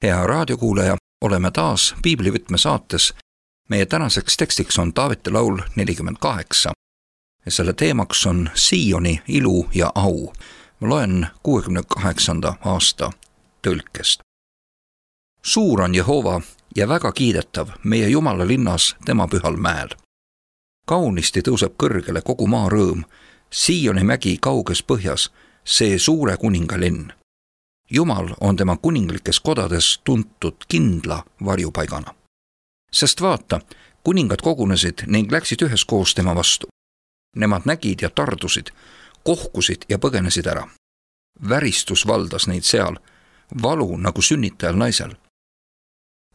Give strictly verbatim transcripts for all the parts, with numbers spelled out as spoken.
Hea raadiokuulaja, oleme taas Piiblivõtme saates. Meie tänaseks tekstiks on Taaveti laul nelikümmend kaheksa. Ja selle teemaks on Sioni ilu ja au. Ma loen kuuekümne kaheksanda aasta tõlkest. Suur on Jehova ja väga kiidetav meie Jumala linnas tema pühal mäel. Kaunisti tõuseb kõrgele kogu maa rõõm, Sioni mägi kauges põhjas, see suure kuninga linn. Jumal on tema kuninglikes kodades tuntud kindla varjupaigana. Sest vaata, kuningad kogunesid ning läksid üheskoos tema vastu. Nemad nägid ja tardusid, kohkusid ja põgenesid ära. Väristus valdas neid seal, valu nagu sünnitajal naisel.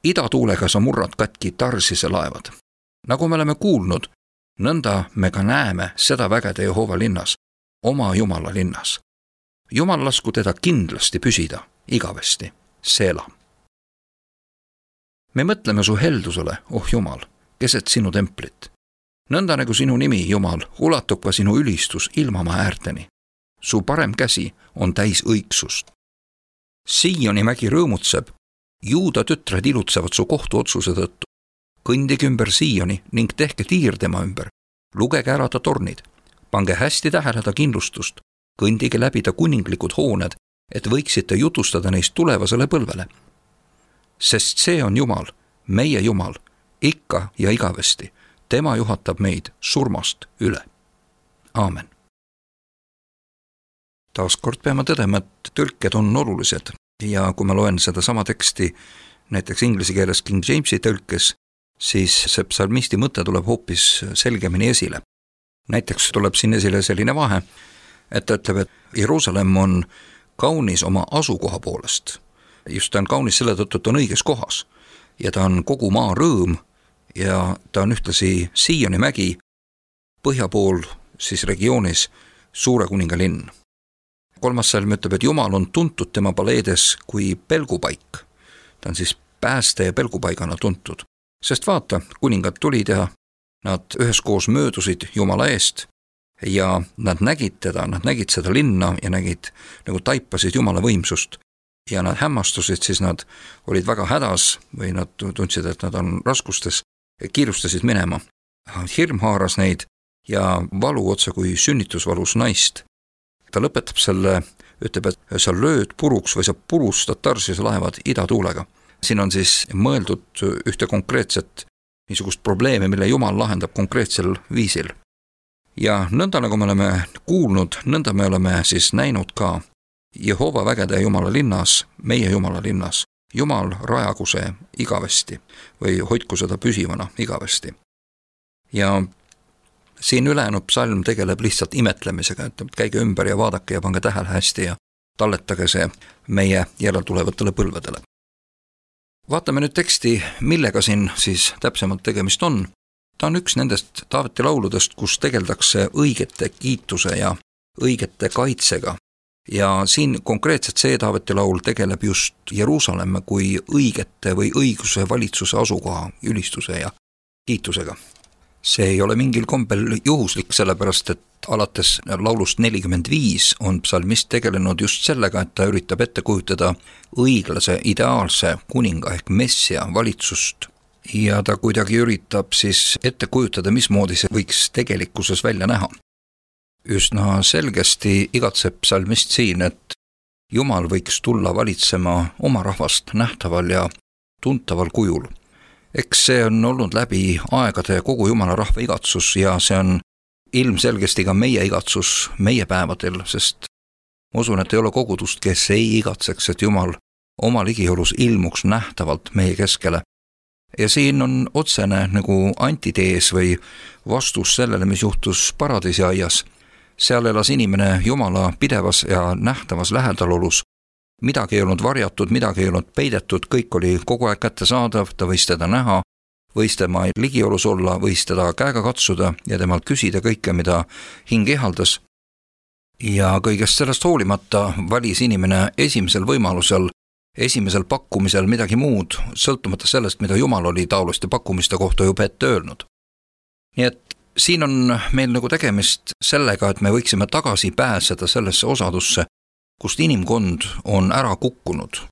Idatuulega sa murrad katki Tarsise laevad. Nagu me oleme kuulnud, nõnda me ka näeme seda vägede Jehova linnas, oma Jumala linnas. Jumal lasku teda kindlasti püsida, igavesti, Seela. Me mõtleme su heldusele, oh Jumal, keset sinu templit. Nõnda nagu sinu nimi, Jumal, ulatub ka sinu ülistus ilmamaa äärteni. Su parem käsi on täis õigsust. Sioni mägi rõõmutseb, Juuda tütred ilutsevad su kohtuotsuse tõttu. Kõndige ümber Sioni ning tehke tiir tema ümber. Lugege ära ta tornid, pange hästi tähele ta kindlustust. Kõndige läbi ta kuninglikud hooned, et võiksite jutustada neist tulevasele põlvele. Sest see on Jumal, meie Jumal, ikka ja igavesti. Tema juhatab meid surmast üle. Aamen. Taaskord peame tõdema, et tõlked on olulised ja kui ma loen seda sama teksti näiteks inglise keeles King Jamesi tõlkes, siis see psalmisti mõte tuleb hoopis selgemini esile. Näiteks tuleb siin esile selline vahe, et ta ütleb, et Jeruusalemm on kaunis oma asukoha poolest. Just ta on kaunis selle tõttu, et ta on õiges kohas. Ja ta on kogu maa rõõm ja ta on ühtlasi Sioni mägi põhja pool siis regioonis suure kuninga linn. Kolmas salm ütleb, et Jumal on tuntud tema paleedes kui pelgupaik. Ta on siis pääste ja pelgupaigana tuntud. Sest vaata, kuningad tulid ja nad üheskoos möödusid Jumala eest ja nad nägid teda, nad nägid seda linna ja nägid, nagu taipasid Jumala võimsust ja nad hämmastusid, siis nad olid väga hädas või nad tundsid, et nad on raskustes, kiirustasid minema. Hirm haaras neid ja valu otsa kui sünnitusvalus naist. Ta lõpetab selle, ütleb, et sa lööd puruks või sa purustad Tarsise laevad idatuulega. Siin on siis mõeldud ühte konkreetset niisugust probleemi, mille Jumal lahendab konkreetsel viisil. Ja nõnda nagu me oleme kuulnud, nõnda me oleme siis näinud ka Jehova vägede Jumala linnas, meie Jumala linnas. Jumal rajagu see igavesti või hoidku seda püsivana igavesti. Ja siin ülejäänud psalm tegeleb lihtsalt imetlemisega, et käige ümber ja vaadake ja pange tähele hästi ja talletage see meie järeltulevatele põlvedele. Vaatame nüüd teksti, millega siin siis täpsemalt tegemist on. Ta on üks nendest Taaveti lauludest, kus tegeldakse õigete kiituse ja õigete kaitsega. Ja siin konkreetselt see Taaveti laul tegeleb just Jeruusalemme kui õigete või õiguse valitsuse asukoha ülistuse ja kiitusega. See ei ole mingil kombel juhuslik, sellepärast et alates laulust nelikümmend viis on psalmist tegelenud just sellega, et ta üritab ette kujutada õiglase, ideaalse kuninga ehk messia valitsust. Ja ta kuidagi üritab siis ette kujutada, mismoodi see võiks tegelikkuses välja näha. Üsna selgesti igatseb psalmist siin, et Jumal võiks tulla valitsema oma rahvast nähtaval ja tuntaval kujul. Eks see on olnud läbi aegade kogu Jumala rahva igatsus ja see on ilmselgesti ka meie igatsus meie päevadel, sest ma usun, et ei ole kogudust, kes ei igatseks, et Jumal oma ligiolus ilmuks nähtavalt meie keskele. Ja siin on otsene nagu antitees või vastus sellele, mis juhtus paradiisiaias. Seal elas inimene Jumala pidevas ja nähtavas lähedalolus. Midagi ei olnud varjatud, midagi ei olnud peidetud, kõik oli kogu aeg kättesaadav, ta võis teda näha, võis tema ligiolus olla, võis teda käega katsuda ja temalt küsida kõike, mida hing ihaldas. Ja kõigest sellest hoolimata valis inimene esimesel võimalusel esimesel pakkumisel midagi muud, sõltumata sellest, mida Jumal oli taoliste pakkumiste kohta juba ette öelnud. Nii et siin on meil nagu tegemist sellega, et me võiksime tagasi pääseda sellesse osadusse, kust inimkond on ära kukkunud.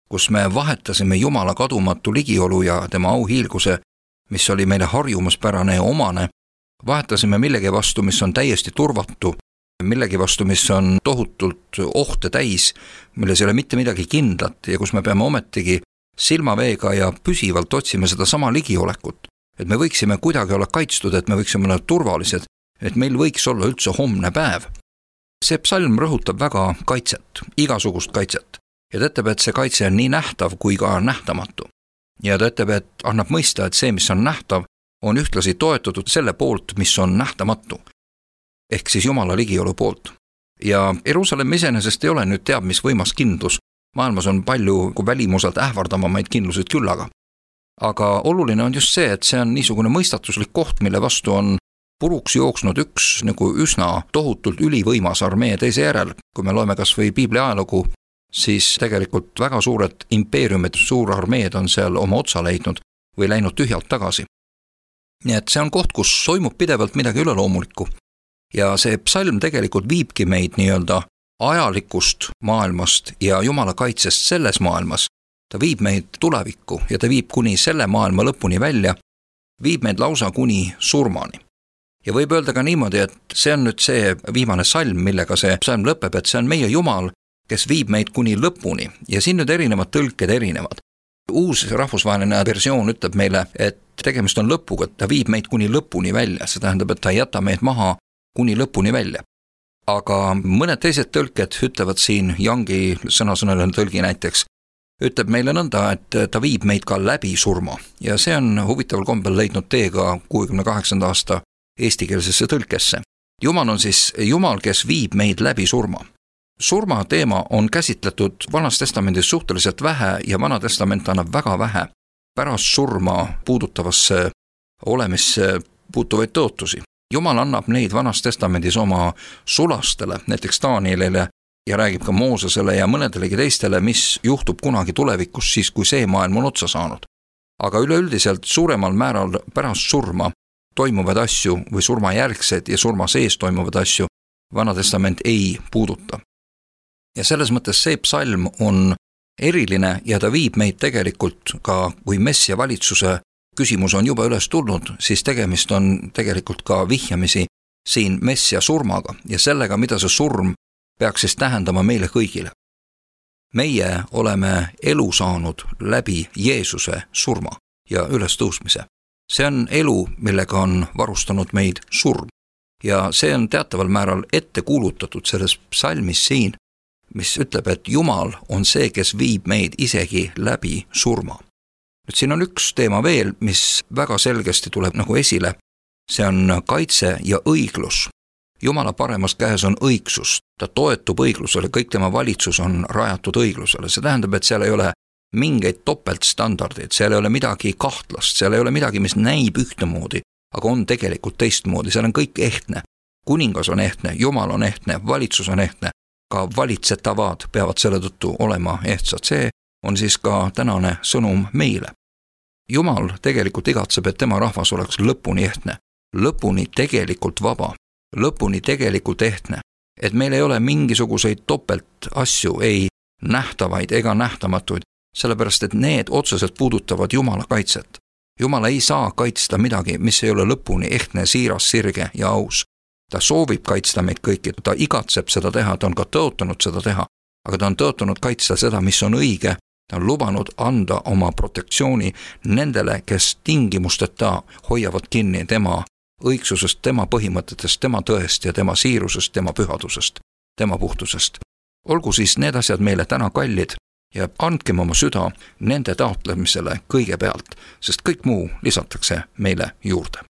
kus me vahetasime Jumala kadumatu ligiolu ja tema auhiilguse, mis oli meile harjumuspärane ja omane, vahetasime millegi vastu, mis on täiesti turvatu, millegi vastu, mis on tohutult ohte täis, milles ei ole mitte midagi kindlat ja kus me peame ometigi silmaveega ja püsivalt otsime seda sama ligiolekut, et me võiksime kuidagi olla kaitstud, et me võiksime olla turvalised, et meil võiks olla üldse homne päev. See psalm rõhutab väga kaitset, igasugust kaitset ja ta ütleb, et see kaitse on nii nähtav kui ka nähtamatu. Ja ta ütleb, et annab mõista, et see, mis on nähtav, on ühtlasi toetatud selle poolt, mis on nähtamatu. Ehk siis Jumala ligiolu poolt. Ja Jeruusalemm iseenesest ei ole nüüd teab, mis võimas kindlus. Maailmas on palju välimuselt ähvardamamaid kindlused küllaga. Aga oluline on just see, et see on niisugune mõistatuslik koht, mille vastu on puruks jooksnud üks nagu üsna tohutult ülivõimas armee teise järel. Kui me loeme kas või Piibli ajalugu, siis tegelikult väga suured impeeriumid, suurarmeed on seal oma otsa leidnud või läinud tühjalt tagasi. Nii et see on koht, kus toimub pidevalt midagi üleloomulikku. Ja see psalm tegelikult viibki meid nii-öelda ajalikust maailmast ja Jumala kaitsest selles maailmas. Ta viib meid tulevikku ja ta viib kuni selle maailma lõpuni välja, viib meid lausa kuni surmani. Ja võib öelda ka niimoodi, et see on nüüd see viimane salm, millega see psalm lõpeb, et see on meie Jumal, kes viib meid kuni lõpuni ja siin nüüd erinevad tõlked erinevad. Uus rahvusvaheline versioon ütleb meile, et tegemist on lõpuga, ta viib meid kuni lõpuni välja, see tähendab, et ta ei jäta meid maha kuni lõpuni välja. Aga mõned teised tõlked ütlevad siin, Youngi sõnasõnaline tõlgi näiteks, ütleb meile nõnda, et ta viib meid ka läbi surma ja see on huvitaval kombel leidnud teega kuuekümne kaheksanda aasta eestikeelsesse tõlkesse. Jumal on siis Jumal, kes viib meid läbi surma. Surma teema on käsitletud Vanas Testamendis suhteliselt vähe ja Vana Testament annab väga vähe pärast surma puudutavasse olemisse puutuvaid tõotusi. Jumal annab neid Vanas Testamendis oma sulastele, näiteks Danielile ja räägib ka Moosesele ja mõnedelegi teistele, mis juhtub kunagi tulevikus siis, kui see maailm on otsa saanud. Aga üleüldiselt suuremal määral pärast surma toimuvad asju või surmajärgsed ja surma sees toimuvad asju Vana Testament ei puuduta. Ja selles mõttes see psalm on eriline ja ta viib meid tegelikult ka, kui messia valitsuse küsimus on juba üles tulnud, siis tegemist on tegelikult ka vihjamisi siin messia surmaga ja sellega, mida see surm peaks siis tähendama meile kõigile. Meie oleme elu saanud läbi Jeesuse surma ja ülestõusmise. See on elu, millega on varustanud meid surm ja see on teataval määral ette kuulutatud selles psalmis siin, mis ütleb, et Jumal on see, kes viib meid isegi läbi surma. Nüüd siin on üks teema veel, mis väga selgesti tuleb nagu esile. See on kaitse ja õiglus. Jumala paremas käes on õigsus. Ta toetub õiglusele, kõik tema valitsus on rajatud õiglusele. See tähendab, et seal ei ole mingeid topeltstandardeid, seal ei ole midagi kahtlast, seal ei ole midagi, mis näib ühtemoodi, aga on tegelikult teistmoodi. Seal on kõik ehtne. Kuningas on ehtne, Jumal on ehtne, valitsus on ehtne. Ka valitsetavad peavad selle tõttu olema ehtsad. See on siis ka tänane sõnum meile. Jumal tegelikult igatseb, et tema rahvas oleks lõpuni ehtne, lõpuni tegelikult vaba, lõpuni tegelikult ehtne, et meil ei ole mingisuguseid topelt asju, ei nähtavaid ega nähtamatuid, sellepärast et need otseselt puudutavad Jumala kaitset. Jumal ei saa kaitsta midagi, mis ei ole lõpuni ehtne, siiras, sirge ja aus. Ta soovib kaitsta meid kõiki, ta igatseb seda teha, ta on ka tõotanud seda teha, aga ta on tõotanud kaitsta seda, mis on õige, ta on lubanud anda oma protektsiooni nendele, kes tingimusteta hoiavad kinni tema õigsusest, tema põhimõtetest, tema tõest ja tema siirusest, tema pühadusest, tema puhtusest. Olgu siis need asjad meile täna kallid ja andkem oma süda nende taotlemisele kõigepealt, sest kõik muu lisatakse meile juurde.